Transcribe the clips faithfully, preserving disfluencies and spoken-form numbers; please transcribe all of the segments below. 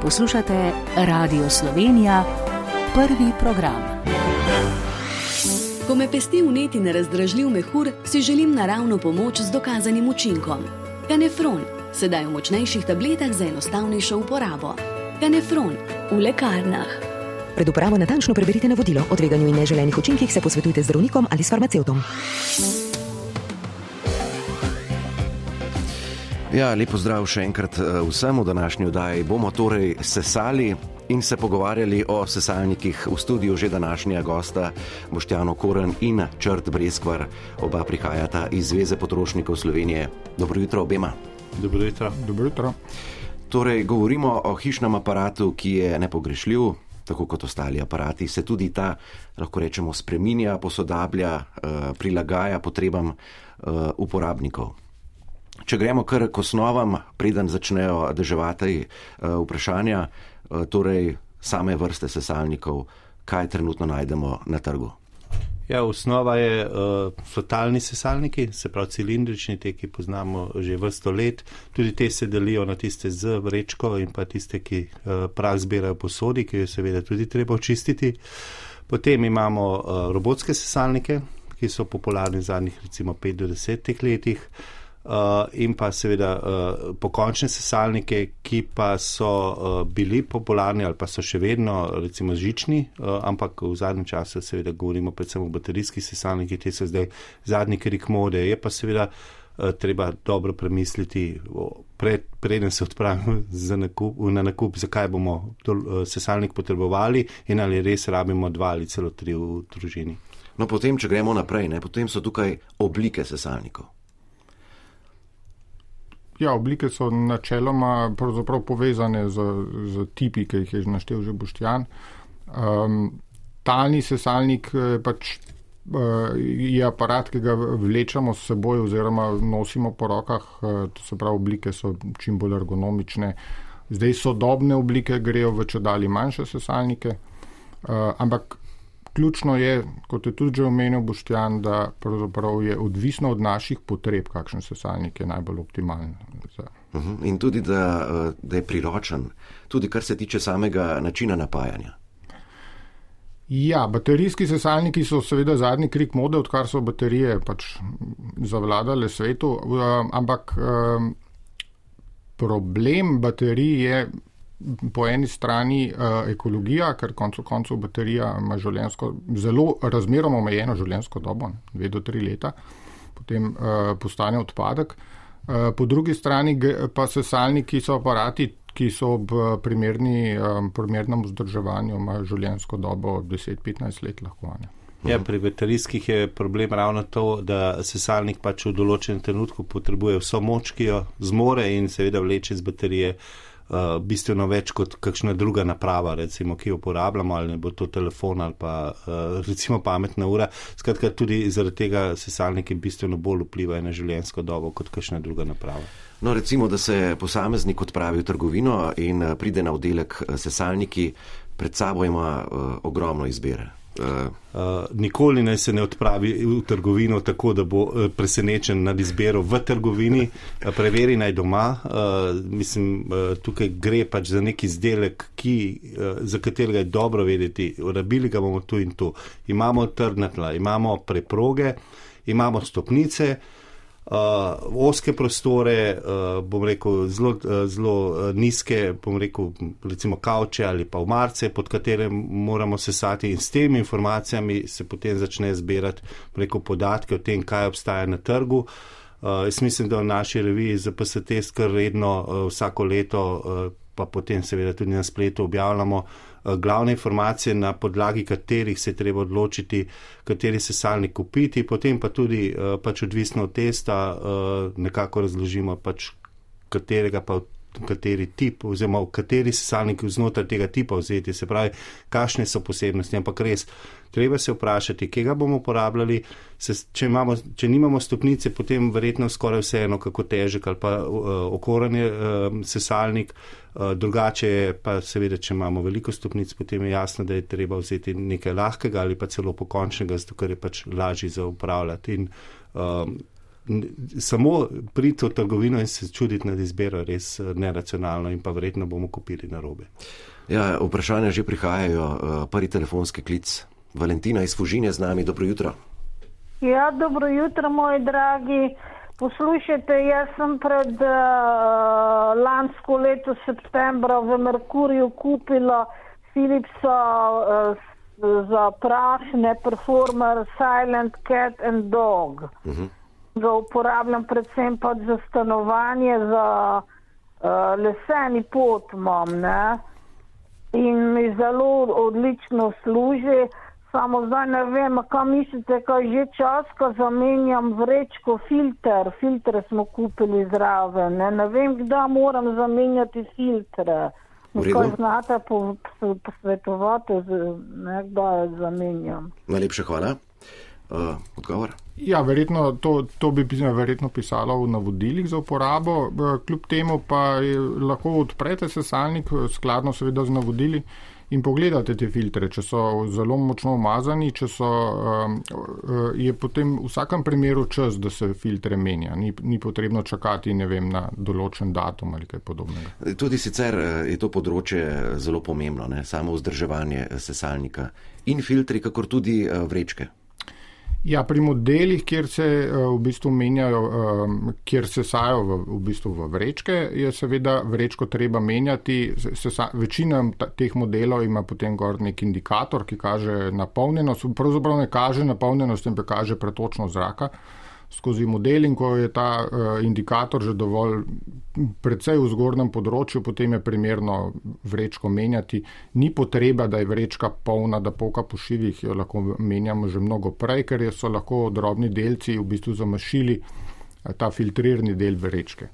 Poslušate Radio Slovenija, prvi program. Ko me pesti vneti nerazdražljiv mehur, si želim naravno pomoč z dokazanim učinkom. Kanefron, sedaj v močnejših tabletah za enostavnejšo uporabo. Kanefron v lekarnah. Pred uporabo natančno preberite navodilo. O tveganju in neželenih učinkih se posvetujte z zdravnikom ali s farmacevtom. Ja, lepo zdrav še enkrat vsem. V današnji oddaji bomo torej sesali in se pogovarjali o sesalnikih. V studiu že današnja gosta Boštjan Okorn in Črt Breskvar. Oba prihajata iz Zveze potrošnikov Slovenije. Dobro jutro obema. Dobro jutro. Dobro jutro. Torej, govorimo o hišnem aparatu, ki je nepogrešljiv, tako kot ostali aparati. Se tudi ta, lahko rečemo, spreminja, posodablja, prilagaja potrebam uporabnikov. Če gremo kar k osnovam, preden začnejo deževati vprašanja, torej same vrste sesalnikov, kaj trenutno najdemo na trgu? Ja, osnova je, so talni sesalniki, se pravi cilindrični, te, ki poznamo že vrsto let. Tudi te se delijo na tiste z vrečko in pa tiste, ki prah zbirajo po sodi, ki jo seveda tudi treba očistiti. Potem imamo robotske sesalnike, ki so popularni v zadnjih recimo pet do deset letih. Uh, in pa seveda uh, pokončne sesalnike, ki pa so uh, bili popularni ali pa so še vedno recimo žični, uh, ampak v zadnjem času seveda govorimo predvsem o baterijskih sesalnikih, te so zdaj zadnji krik mode. Je pa seveda uh, treba dobro premisliti, pred, preden se odpravimo za nakup, na nakup, zakaj bomo to, uh, sesalnik potrebovali in ali res rabimo dva ali celo tri v družini. No, potem, če gremo naprej, ne, potem so tukaj oblike sesalnikov. Ja, oblike so načeloma pravzaprav povezane z, z tipi, ki jih je naštel že Boštjan. Um, talni sesalnik pač uh, je aparat, ki ga vlečemo s seboj oziroma nosimo po rokah, uh, to se pravi, oblike so čim bolj ergonomične. Zdaj sodobne oblike grejo v čedalje manjše sesalnike, uh, ampak ključno je, kot je tudi že omenil Boštjan, da pravzaprav je odvisno od naših potreb, kakšen sesalnik je najbolj optimalen. Za... Uh-huh. In tudi, da, da je priročen, tudi kar se tiče samega načina napajanja. Ja, baterijski sesalniki so seveda zadnji krik mode, odkar so baterije pač zavladale svetu, ampak problem baterij je po eni strani uh, ekologija, ker koncu koncev baterija ima življenjsko, zelo razmeroma omejeno življenjsko dobo, dve do tri leta, potem uh, postane odpadek. Uh, po drugi strani pa sesalniki so aparati, ki so ob primerni, um, primernem vzdrževanju imajo življenjsko dobo deset do petnajst let lahko. Ne? Ja, pri baterijskih je problem ravno to, da sesalnik pač v določenem trenutku potrebuje vso moč, ki jo zmore in seveda vleče z baterije Uh, bistveno več kot kakšna druga naprava, recimo, ki jo uporabljamo, ali ne bo to telefon ali pa uh, recimo pametna ura. Skratka, tudi zaradi tega sesalniki bistveno bolj vplivajo na življenjsko dobo kot kakšna druga naprava. No, recimo, da se posameznik odpravi v trgovino in pride na oddelek sesalniki, pred sabo ima uh, ogromno izbire. Uh. Uh, nikoli ne se ne odpravi v trgovino tako, da bo uh, presenečen nad izbiro v trgovini, uh, preveri naj doma. Uh, mislim, uh, tukaj gre pač za nek izdelek, ki, uh, za katerega je dobro vedeti, rabili ga bomo tu in tu. Imamo trdna tla, imamo preproge, imamo stopnice, Uh, oske prostore, uh, bom rekel, zelo, uh, zelo uh, nizke, bom rekel, recimo kavče ali pa omarce, pod katere moramo sesati, in s temi informacijami se potem začne zbirati, bom rekel, podatke o tem, kaj obstaja na trgu. Uh, jaz mislim, da v naši reviji Z P S T kar redno uh, vsako leto, uh, pa potem seveda tudi na spletu objavljamo glavne informacije, na podlagi katerih se je treba odločiti, kateri sesalnik kupiti, potem pa tudi pač odvisno od testa nekako razložimo pač katerega pa kateri tip oziroma v kateri sesalnik znotraj tega tipa vzeti, se pravi, kakšne so posebnosti, ampak res, treba se vprašati, kje ga bomo uporabljali, se, če, imamo, če nimamo stopnice, potem verjetno skoraj vseeno, kako težek ali pa uh, okoren je uh, sesalnik, uh, drugače je pa seveda, če imamo veliko stopnic, potem je jasno, da je treba vzeti nekaj lahkega ali pa celo pokončnega, zato ker je pač lažji za upravljati in uh, samo priti v trgovino in se čuditi nad izbiro je res neracionalno in pa verjetno bomo kupili narobe. Ja, vprašanja že prihajajo. Prvi telefonski klic. Valentina iz Fužine z nami. Dobro jutro. Ja, dobro jutro, moji dragi. Poslušajte, jaz sem pred uh, lansko leto septembra v Merkurju kupila Philipsa uh, za prašne Performer Silent Cat and Dog. Uh-huh. Ga uporabljam predvsem pa za stanovanje, za uh, leseni pot imam, ne? In mi zelo odlično služi. Samo zdaj ne vem, kaj mislite, kaj že čas, ko zamenjam vrečko filter. Filtre smo kupili zraven. Ne, ne vem, kdaj moram zamenjati filtre. Kaj znate posvetovati, ne, kdaj zamenjam. Najlepša hvala. Uh, odgovor? Ja, verjetno, to, to bi verjetno pisalo v navodilih za uporabo. Kljub temu pa lahko odprete sesalnik, skladno seveda z navodili, in pogledate te filtre, če so zelo močno umazani, če so, je potem v vsakem primeru čas, da se filtre menja. Ni, ni potrebno čakati, ne vem, na določen datum ali kaj podobnega. Tudi sicer je to področje zelo pomembno, ne? Samo vzdrževanje sesalnika in filtri, kakor tudi vrečke. Ja, pri modelih, kjer se v bistvu menjajo, kjer se sajo v, v bistvu v vrečke, je seveda vrečko treba menjati. Sesa, večina teh modelov ima potem gor nek indikator, ki kaže napolnjenost, pravzaprav ne kaže napolnjenost, temveč kaže pretočnost zraka skozi model, in ko je ta uh, indikator že dovolj precej v zgornjem področju, potem je primerno vrečko menjati. Ni potreba, da je vrečka polna, da polka po šivih, jo lahko menjamo že mnogo prej, ker so lahko drobni delci v bistvu zamašili uh, ta filtrirni del vrečke.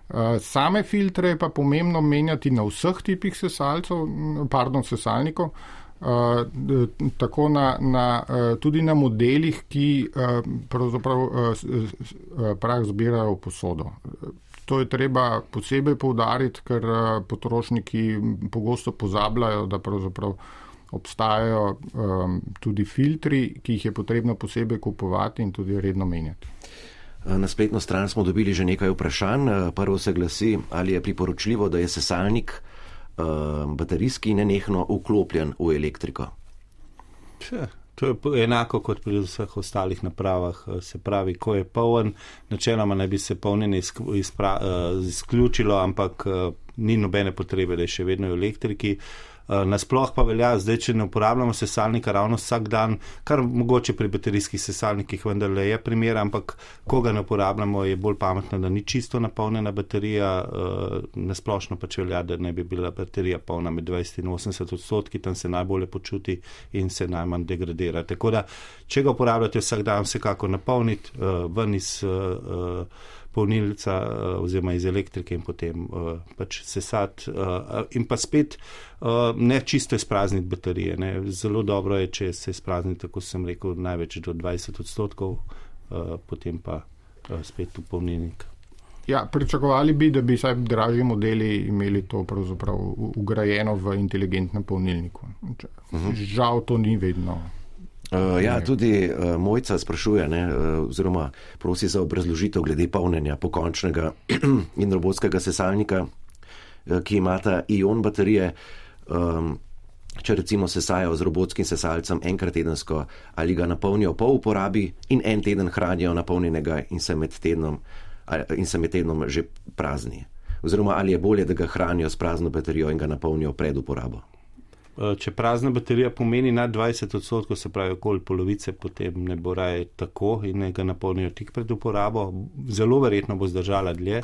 Uh, same filtre je pa pomembno menjati na vseh tipih sesalcev, pardon, sesalnikov, Uh, tako na, na, uh, tudi na modelih, ki uh, pravzaprav uh, uh, prah zbirajo v posodo. To je treba posebej poudariti, ker uh, potrošniki pogosto pozabljajo, da pravzaprav obstajajo um, tudi filtri, ki jih je potrebno posebej kupovati in tudi redno menjati. Na spletno stran smo dobili že nekaj vprašanj. Prvo se glasi, ali je priporočljivo, da je sesalnik baterijski nenehno vklopljen v elektriko. Če, to je enako kot pri vseh ostalih napravah. Se pravi, ko je poln, načeloma naj bi se polnjenje izključilo, ampak ni nobene potrebe, da je še vedno v elektriki. Nasploh pa velja, zdaj, če ne uporabljamo sesalnika ravno vsak dan, kar mogoče pri baterijskih sesalnikih vendarle je primer, ampak ko ga ne uporabljamo, je bolj pametno, da ni čisto napolnjena baterija. Nasplošno pač velja, da ne bi bila baterija polna med dvajset in osemdeset odstotki, tam se najbolje počuti in se najmanj degradira. Tako da, če ga uporabljate vsak dan, vsekako napolniti, ven iz polnilca oziroma iz elektrike in potem uh, pač sesati uh, in pa spet uh, ne čisto izprazniti baterije. Ne. Zelo dobro je, če se izprazniti, tako sem rekel, največ do dvajset odstotkov, uh, potem pa uh, spet v polnilnik. Ja, pričakovali bi, da bi saj dražji modeli imeli to pravzaprav ugrajeno v inteligentnem polnilniku. Uh-huh. Žal to ni vedno. Uh, ja, tudi uh, Mojca sprašuje, ne, uh, oziroma prosi za obrazložitev glede polnjenja pokončnega in robotskega sesalnika, uh, ki imata ion baterije. Um, če recimo sesajo z robotskim sesalcem enkrat tedensko, ali ga napolnijo po uporabi in en teden hranijo napolnjenega in se med tednom, in se med tednom že prazni. Oziroma, ali je bolje, da ga hranijo s prazno baterijo in ga napolnijo pred uporabo. Če prazna baterija pomeni nad dvajset odstotkov, se pravi okoli polovice, potem ne bo raje tako in ne ga napolnijo tik pred uporabo. Zelo verjetno bo zdržala dlje,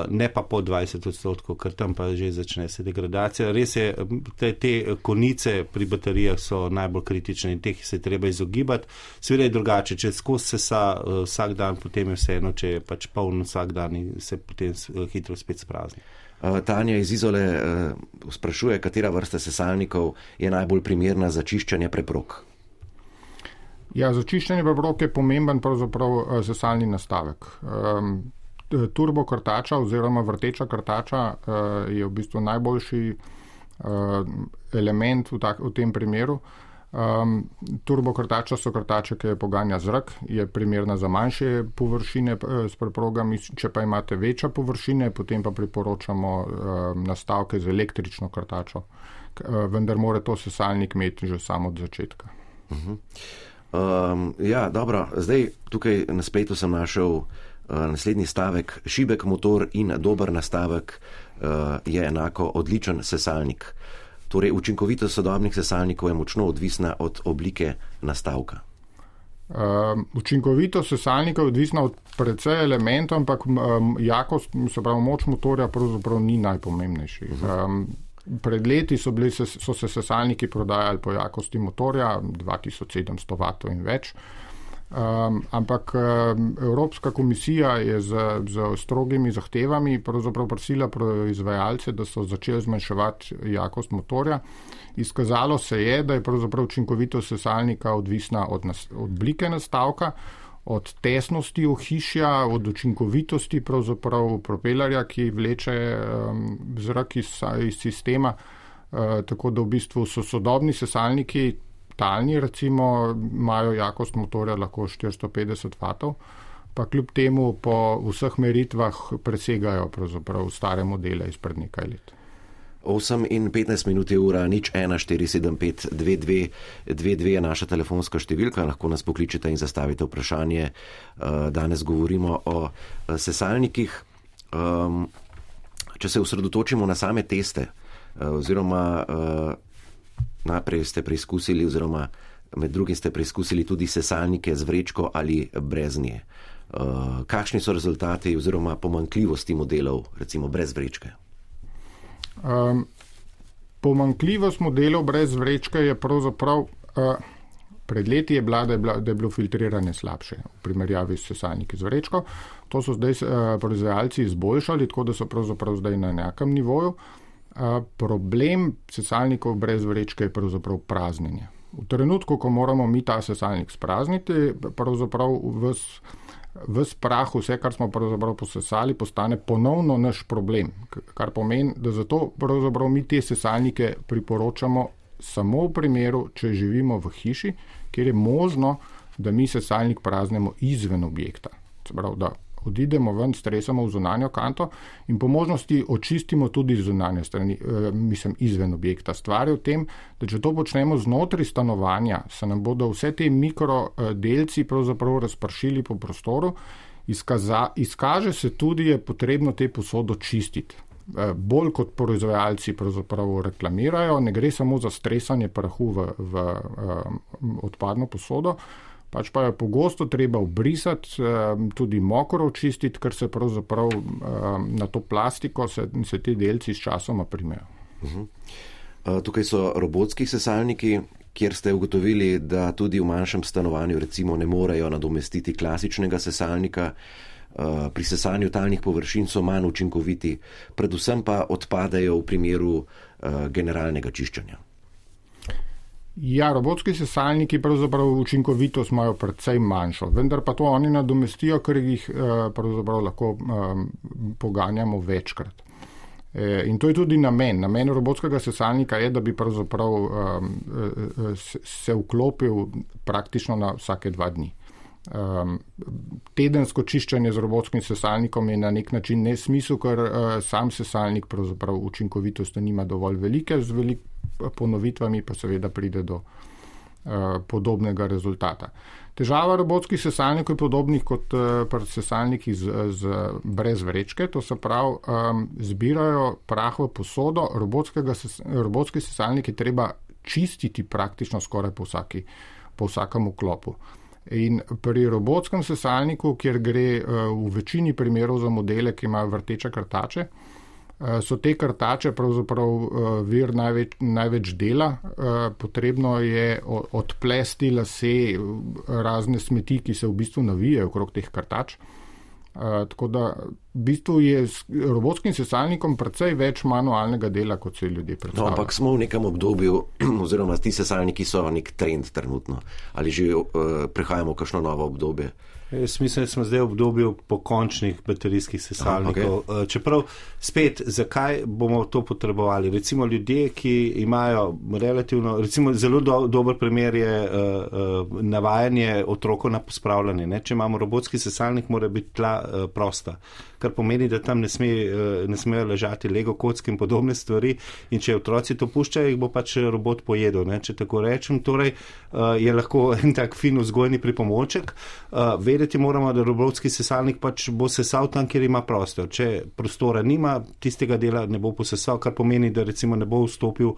ne pa po dvajset odstotkov, ker tam pa že začne se degradacija. Res je, te, te konice pri baterijah so najbolj kritične in teh se treba izogibati. Seveda je drugače, če skozi sesa vsak dan, potem je vseeno, če je pač poln vsak dan in se potem hitro spet sprazni. Tanja iz Izole uh, sprašuje, katera vrsta sesalnikov je najbolj primerna za čiščenje preprog. Ja, za čiščenje preprog je pomemben pravzaprav sesalni nastavek. Um, turbo krtača oziroma vrteča krtača uh, je v bistvu najboljši uh, element v, tak, v tem primeru. Um, turbokrtača so krtače, ki je poganja zrak, je primerna za manjše površine s preprogami, če pa imate večje površine, potem pa priporočamo um, nastavke z električno krtačo, uh, vendar mora to sesalnik imeti že samo od začetka. Uh-huh. Um, ja, dobro, zdaj tukaj na spletu sem našel uh, naslednji stavek. Šibek motor in dober nastavek uh, je enako odličen sesalnik. Torej, učinkovitost sodobnih sesalnikov je močno odvisna od oblike nastavka. Um, učinkovitost sesalnika je odvisna od precej elementov, ampak um, jakost, se pravi moč motorja, pravzaprav ni najpomembnejši. Um, pred leti so, bili, so se sesalniki prodajali po jakosti motorja, dva tisoč sedemsto vatov in več. Um, ampak um, Evropska komisija je z, z strogimi zahtevami pravzaprav prosila proizvajalce, da so začeli zmanjševati jakost motorja. Izkazalo se je, da je pravzaprav učinkovitost sesalnika odvisna od, nas, od oblike nastavka, od tesnosti ohišja, od učinkovitosti pravzaprav propelerja, ki vleče um, zrak iz, iz sistema, uh, tako da v bistvu so sodobni sesalniki talni, recimo, imajo jakost motorja lahko štiristo petdeset vatov, pa kljub temu po vseh meritvah presegajo pravzaprav stare modele izpred nekaj let. osem in petnajst minut je ura, nič ena štiri sedem pet dve dve dve dve je naša telefonska številka, lahko nas pokličete in zastavite vprašanje. Danes govorimo o sesalnikih. Če se osredotočimo na same teste, oziroma najprej ste preizkusili, oziroma med drugim ste preizkusili tudi sesalnike z vrečko ali brez nje. Uh, kakšni so rezultati oziroma pomanjkljivosti modelov, recimo brez vrečke? Um, pomanjkljivost modelov brez vrečke je pravzaprav, uh, pred leti je bila, da je, bila, da je bilo filtriranje slabše v primerjavi s sesalniki z vrečko. To so zdaj uh, proizvajalci izboljšali, tako da so pravzaprav zdaj na nekem nivoju. Uh, problem sesalnikov brez vrečke je pravzaprav praznjenje. V trenutku, ko moramo mi ta sesalnik sprazniti, pravzaprav ves, ves prah, vse, kar smo pravzaprav posesali, postane ponovno naš problem. Kar pomeni, da zato pravzaprav mi te sesalnike priporočamo samo v primeru, če živimo v hiši, kjer je možno, da mi sesalnik praznemo izven objekta. Prav, da odidemo ven, stresamo v zunanjo kanto in po možnosti očistimo tudi zunanje strani, eh, mislim, izven objekta. Stvar je v tem, da če to počnemo znotraj stanovanja, se nam bodo vse te mikrodelci pravzaprav razpršili po prostoru, izkaza, izkaže se tudi, je potrebno te posodo čistiti. Eh, bolj kot proizvajalci pravzaprav reklamirajo, ne gre samo za stresanje prahu v, v eh, odpadno posodo, pač pa je pogosto treba obrisati, tudi mokro očistiti, ker se pravzaprav na to plastiko se, se te delci s časoma primejo. Uh-huh. Tukaj so robotski sesalniki, kjer ste ugotovili, da tudi v manjšem stanovanju recimo ne morejo nadomestiti klasičnega sesalnika. Pri sesanju talnih površin so manj učinkoviti, predvsem pa odpadajo v primeru generalnega čiščenja. Ja, robotski sesalniki pravzaprav učinkovitost imajo precej manjšo, vendar pa to oni nadomestijo, ker jih pravzaprav lahko um, poganjamo večkrat. E, in to je tudi namen. Namen robotskega sesalnika je, da bi pravzaprav um, se vklopil praktično na vsake dva dni. Um, tedensko čiščenje z robotskim sesalnikom je na nek način nesmisel, ker uh, sam sesalnik pravzaprav učinkovitosti nima dovolj velike, z veliko ponovitvami pa seveda pride do uh, podobnega rezultata. Težava robotskih sesalnikov je podobnih kot uh, sesalniki z, z, brez vrečke, to se pravi, um, zbirajo prah v posodo, ses, robotski sesalnik je treba čistiti praktično skoraj po, vsaki, po vsakem vklopu. In pri robotskem sesalniku, kjer gre uh, v večini primerov za modele, ki imajo vrteče krtače, uh, so te krtače pravzaprav uh, vir največ, največ dela. Uh, potrebno je odplesti lase, razne smeti, ki se v bistvu navijajo okrog teh krtač. Uh, tako da v bistvu je s robotskim sesalnikom precej več manualnega dela, kot se ljudje predstavljajo. No, ampak smo v nekem obdobju, oziroma ti sesalniki so nek trend trenutno. Ali že uh, prehajamo v kakšno novo obdobje? Jaz mislim, da smo zdaj v obdobju pokončnih baterijskih sesalnikov. Aha, okay. Čeprav spet, zakaj bomo to potrebovali? Recimo ljudje, ki imajo relativno, recimo zelo do, dober primer je uh, uh, navajanje otrokov na pospravljanje. Ne? Če imamo robotski sesalnik, mora biti tla uh, prosta, kar pomeni, da tam ne, sme, uh, ne smejo ležati lego kocke in podobne stvari in če otroci to puščajo, jih bo pač robot pojedel, ne? Če tako rečem. Torej uh, je lahko en tak fin vzgojni pripomoček. Uh, Vedeti moramo, da robotski sesalnik pač bo sesal tam, kjer ima prostor. Če prostora nima, tistega dela ne bo posesal, kar pomeni, da recimo ne bo vstopil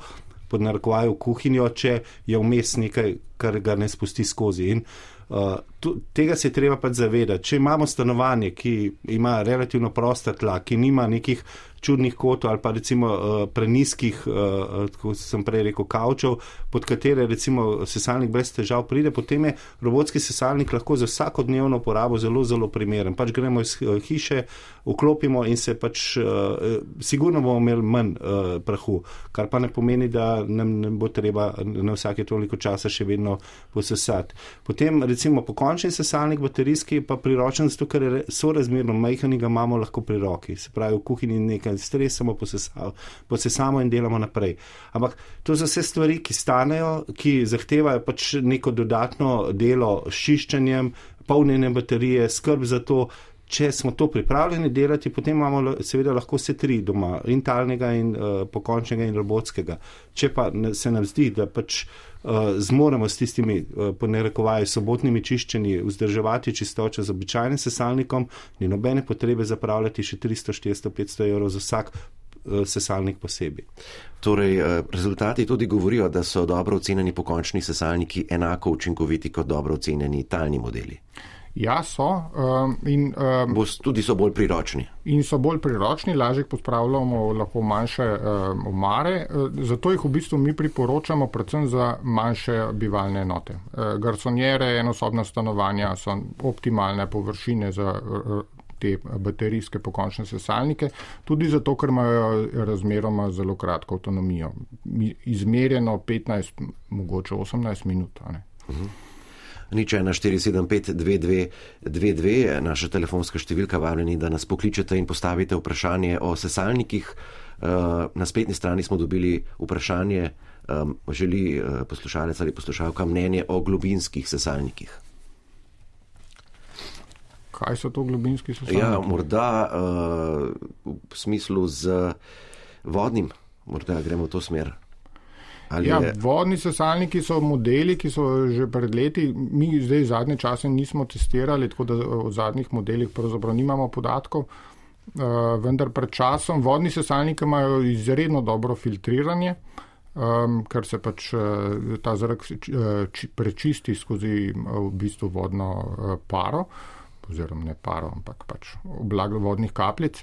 pod narekovaju v kuhinjo, če je vmes nekaj, kar ga ne spusti skozi. In uh, tu, tega se je treba pač zavedati. Če imamo stanovanje, ki ima relativno prosta tla, ki nima nekih čudnih kotov ali pa recimo uh, preniskih, uh, kot sem prej rekel, kavčev, pod katere recimo sesalnik brez težav pride, potem je robotski sesalnik lahko za vsakodnevno porabo zelo, zelo primeren. Pač gremo iz uh, hiše, vklopimo in se pač uh, sigurno bomo imeli manj uh, prahu, kar pa ne pomeni, da nam ne bo treba na vsake toliko časa še vedno posesati. Potem recimo pokončni sesalnik baterijski pa priročen, zato ker je sorazmerno majhen in ga imamo lahko pri roki. Se pravi, v kuhinji nekaj stresamo, posesamo in delamo naprej. Ampak to so vse stvari, ki stanejo, ki zahtevajo pač neko dodatno delo s čiščenjem, polnjenjem baterije, skrb za to. Če smo to pripravljeni delati, potem imamo seveda lahko vse tri doma, in talnega, in uh, pokončnega, in robotskega. Če pa se nam zdi, da pač uh, zmoremo s tistimi, uh, po narekovaju, sobotnimi čiščenji, vzdrževati čistočo z običajnim sesalnikom, ni nobene potrebe zapravljati še tristo, štiristo, petsto evrov za vsak uh, sesalnik posebej. Torej, uh, rezultati tudi govorijo, da so dobro ocenjeni pokončni sesalniki enako učinkoviti kot dobro ocenjeni talni modeli. Ja, so. Um, in, um, tudi so bolj priročni. In so bolj priročni, lažje pospravljamo lahko manjše um, omare. Zato jih v bistvu mi priporočamo predvsem za manjše bivalne enote. Uh, garsonjere, enosobna stanovanja so optimalne površine za uh, te baterijske pokončne sesalnike, tudi zato, ker imajo razmeroma zelo kratko avtonomijo. Izmerjeno petnajst, mogoče osemnajst minut. Ne? Uh-huh. Nič ena štiri sedem pet dve dve dve dve, naša telefonska številka, vabljeni, da nas pokličete in postavite vprašanje o sesalnikih. Na spletni strani smo dobili vprašanje, želi poslušalec ali poslušalka mnenje o globinskih sesalnikih. Kaj so to globinski sesalniki? Ja, morda v smislu z vodnim, morda gremo v to smer. Ja, vodni sesalniki so modeli, ki so že pred leti, mi zdaj zadnje čase nismo testirali, tako da o zadnjih modelih pravzaprav nimamo podatkov, uh, vendar pred časom vodni sesalniki imajo izredno dobro filtriranje, um, ker se pač uh, ta zrak uh, prečisti skozi uh, v bistvu vodno uh, paro, oziroma ne paro, ampak pač oblak vodnih kapljic.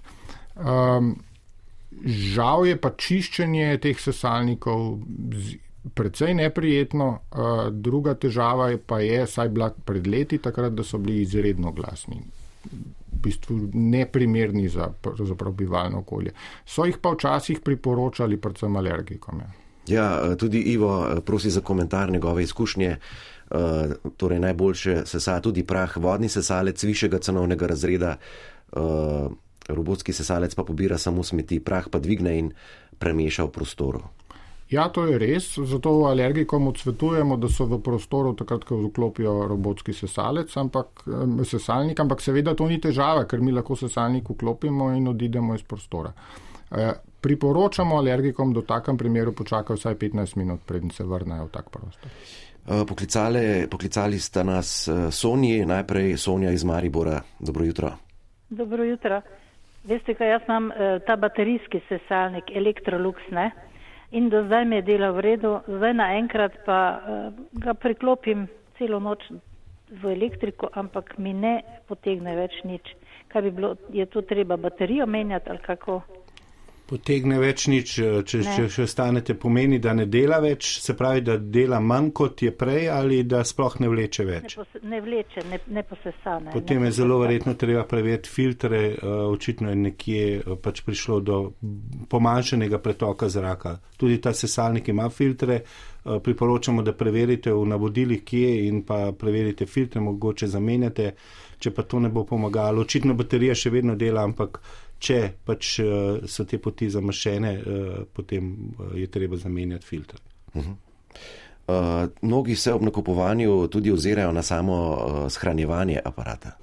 Um, Žal je pa čiščenje teh sesalnikov precej neprijetno. Druga težava je pa je, saj bila pred leti takrat, da so bili izredno glasni. V bistvu neprimerni za, za bivalno okolje. So jih pa včasih priporočali predvsem alergikom. Ja. Ja, tudi Ivo prosi za komentar njegove izkušnje. Torej najboljše sesa tudi prah vodni sesalec višjega cenovnega razreda. Robotski sesalec pa pobira samo smeti, prah pa dvigne in premeša v prostoru. Ja, to je res, zato alergikom odsvetujemo, da so v prostoru takrat, ko vklopijo robotski sesalec, ampak, sesalnik, ampak seveda to ni težava, ker mi lahko sesalnik vklopimo in odidemo iz prostora. E, priporočamo alergikom, da v takem primeru počakajo vsaj petnajst minut, preden se vrnejo v tak prostor. Poklicali, poklicali sta nas Sonji, najprej Sonja iz Maribora. Dobro jutro. Dobro jutro. Veste, kaj jaz imam ta baterijski sesalnik Electrolux, ne? In do zdaj mi je delal v redu, zdaj naenkrat pa uh, ga priklopim celo noč v elektriko, ampak mi ne potegne več nič. Kaj bi bilo, je to treba baterijo menjati ali kako? Potegne več nič, če, če še stanete, pomeni, da ne dela več, se pravi, da dela manj kot je prej ali da sploh ne vleče več? Ne, pos, ne vleče, ne, ne posesane. Potem ne je zelo verjetno treba preveriti filtre, očitno je nekje pač prišlo do pomanjšanega pretoka zraka. Tudi ta sesalnik ima filtre, priporočamo, da preverite v navodilih, kje in pa preverite filtre, mogoče zamenjate, če pa to ne bo pomagalo. Očitno baterija še vedno dela, ampak če pač so te poti zamašene, potem je treba zamenjati filtre. Uh-huh. Uh, mnogi se ob nakupovanju tudi ozirajo na samo uh, shranjevanje aparata.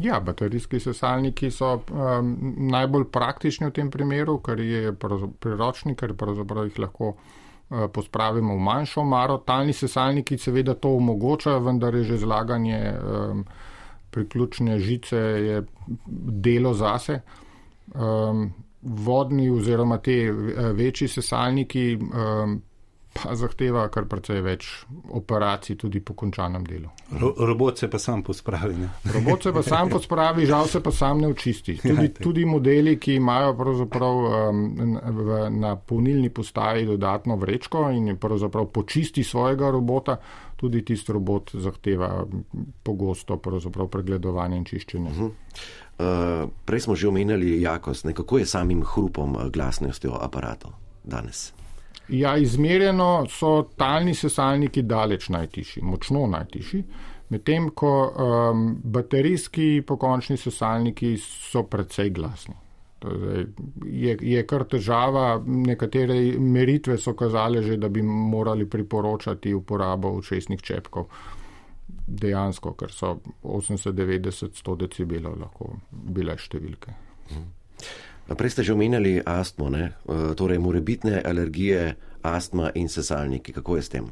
Ja, baterijski sesalniki so um, najbolj praktični v tem primeru, ker je priročni, ker pravzaprav jih lahko uh, pospravimo v manjšo omaro. Talni sesalniki seveda to omogočajo, vendar je že zlaganje um, priključne žice je delo zase. Um, vodni oziroma te večji sesalniki um, pa zahteva kar precej več operacij tudi po končanem delu. Ro, robot se pa sam pospravi, ne? Robot se pa sam pospravi, žal se pa sam ne očisti. Tudi, tudi modeli, ki imajo pravzaprav um, v, na polnilni postaji dodatno vrečko in pravzaprav počisti svojega robota, tudi tisti robot zahteva pogosto pravzaprav pregledovanje in čiščenje. Uh-huh. Uh, prej smo že omenjali jakost. Kako je samim hrupom, glasnostjo aparatov danes? Ja, izmerjeno so talni sesalniki daleč najtišji, močno najtišji, medtem ko um, baterijski pokončni sesalniki so precej glasni. Torej, je, je kar težava, nekatere meritve so kazale že, da bi morali priporočati uporabo ušesnih čepkov. Dejansko, ker so osemdeset, devetdeset, sto decibelov lahko bile številke. Hmm. Prej ste že omenjali astmo, ne? Torej morebitne alergije, astma in sesalniki. Kako je s tem?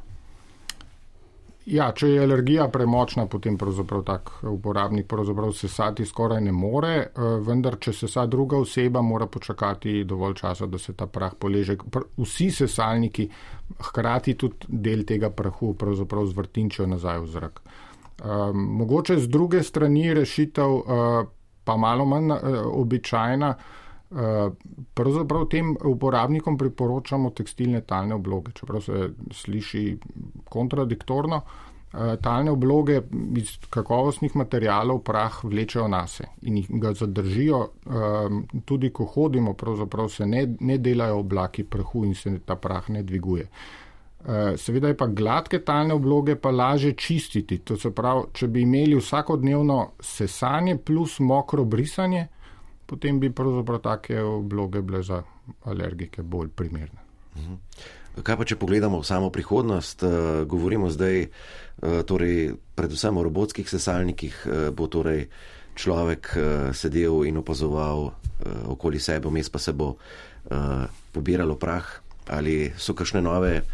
Ja, če je alergija premočna, potem pravzaprav tak uporabnik pravzaprav sesati skoraj ne more, vendar če sesa druga oseba, mora počakati dovolj časa, da se ta prah poleže. Vsi sesalniki hkrati tudi del tega prahu pravzaprav zvrtinčijo nazaj v zrak. Um, mogoče z druge strani rešitev uh, pa malo manj uh, običajna. Uh, pravzaprav tem uporabnikom priporočamo tekstilne talne obloge, čeprav se sliši kontradiktorno. Uh, talne obloge iz kakovostnih materialov prah vlečejo nase in jih ga zadržijo, uh, tudi ko hodimo, pravzaprav se ne, ne delajo oblaki prahu in se ta prah ne dviguje. Uh, seveda je pa gladke talne obloge pa laže čistiti, to se pravi, če bi imeli vsakodnevno sesanje plus mokro brisanje, potem bi pravzaprav take obloge bile za alergike bolj primerne. Kaj pa, če pogledamo v samo prihodnost, govorimo zdaj torej predvsem o robotskih sesalnikih, bo torej človek sedel in opazoval okoli sebe, vmes pa se bo pobiralo prah, ali so kakšne nove,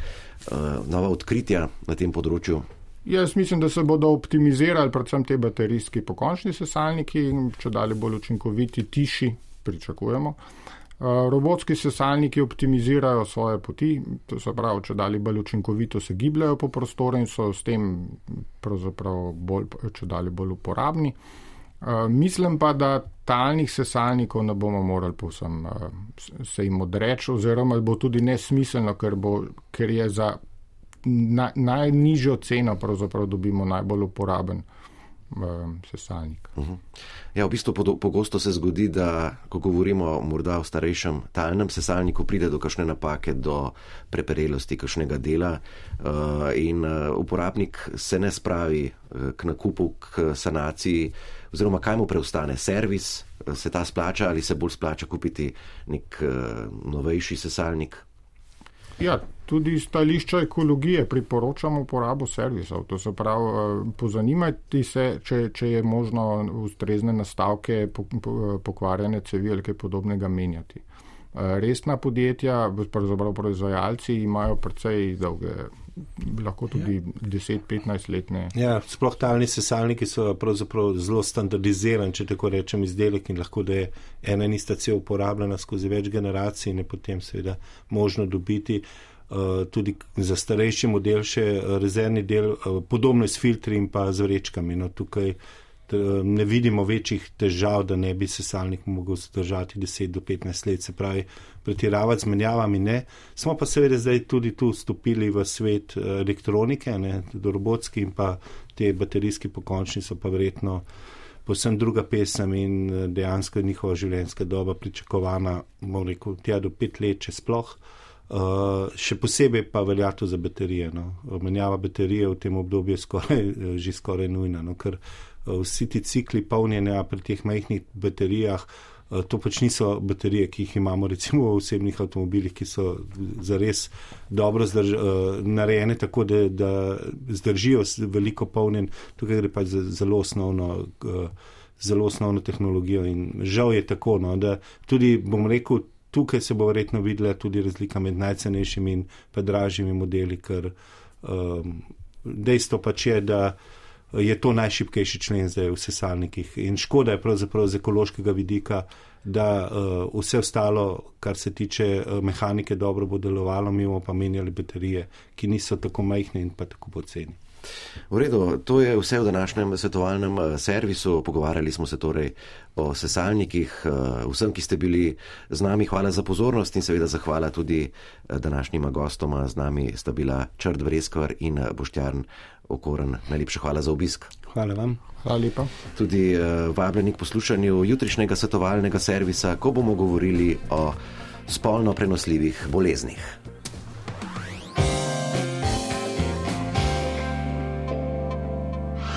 nova odkritja na tem področju? Jaz mislim, da se bodo optimizirali predvsem te baterijski pokončni sesalniki, če dalje bolj učinkoviti, tiši, pričakujemo. Robotski sesalniki optimizirajo svoje poti, to se pravi, če dalje bolj učinkovito se gibljajo po prostoru in so s tem pravzaprav bolj, če dalje bolj uporabni. Mislim pa, da talnih sesalnikov ne bomo morali povsem se jim odreči, oziroma bo tudi nesmiselno, ker, bo, ker je za Na, najnižjo ceno pravzaprav dobimo najbolj uporaben um, sesalnik. Uh-huh. Ja, v bistvu pogosto se zgodi, da ko govorimo morda o starejšem talnem sesalniku, pride do kakšne napake, do preperelosti kakšnega dela uh, in uh, uporabnik se ne spravi uh, k nakupu, k sanaciji, oziroma kaj mu preostane? Servis, uh, se ta splača ali se bolj splača kupiti nek uh, novejši sesalnik? Ja, tudi iz stališča ekologije priporočamo uporabo servisov. To se pravi, pozanimajte se, če, če je možno ustrezne nastavke, pokvarjene cevi ali kaj podobnega menjati. Resna podjetja, pravzaprav proizvajalci, imajo precej dolge, lahko tudi ja. deset petnajst letne. Ja, sploh talni sesalniki so pravzaprav zelo standardizirani, če tako rečem, izdelek in lahko da je ena in ista cev uporabljena skozi več generacij in je potem seveda možno dobiti uh, tudi za starejši model še rezervni del, uh, podobno s filtri in pa z vrečkami. No, tukaj ne vidimo večjih težav, da ne bi sesalnik mogel zdržati deset do petnajst let, se pravi, pretiravati z menjavami ne. Smo pa seveda zdaj tudi tu vstopili v svet elektronike, ne, robotski in pa te baterijski pokončni so pa verjetno povsem druga pesem in dejansko je njihova življenjska doba pričakovana, bom rekel, tja do pet let, če sploh. Uh, še posebej pa velja to za baterije. No. Menjava baterije v tem obdobju je skoraj, že skoraj nujna, no, ker uh, vsi ti cikli polnjenja pri teh majhnih baterijah, uh, to pač niso baterije, ki jih imamo recimo v osebnih avtomobilih, ki so zares dobro zdrž, uh, narejene tako, da, da zdržijo veliko polnjen. Tukaj gre pač za zelo osnovno, uh, zelo osnovno tehnologijo in žal je tako, no, da tudi, bom rekel, tukaj se bo verjetno videla tudi razlika med najcenejšimi in pa dražjimi modeli, ker um, dejstvo pač je, da je to najšibkejši člen zdaj v sesalnikih in škoda je pravzaprav z ekološkega vidika, da uh, vse ostalo, kar se tiče uh, mehanike, dobro bo delovalo, mi bomo pa menjali baterije, ki niso tako majhne in pa tako poceni. V redu, to je vse v današnjem svetovalnem servisu. Pogovarjali smo se torej o sesalnikih. Vsem, ki ste bili z nami, hvala za pozornost in seveda zahvala tudi današnjima gostoma. Z nami sta bila Črt Breskvar in Boštjan Okorn. Najlepša hvala za obisk. Hvala vam. Hvala lepa. Tudi vabljeni k poslušanju jutrišnjega svetovalnega servisa, ko bomo govorili o spolno prenosljivih boleznih.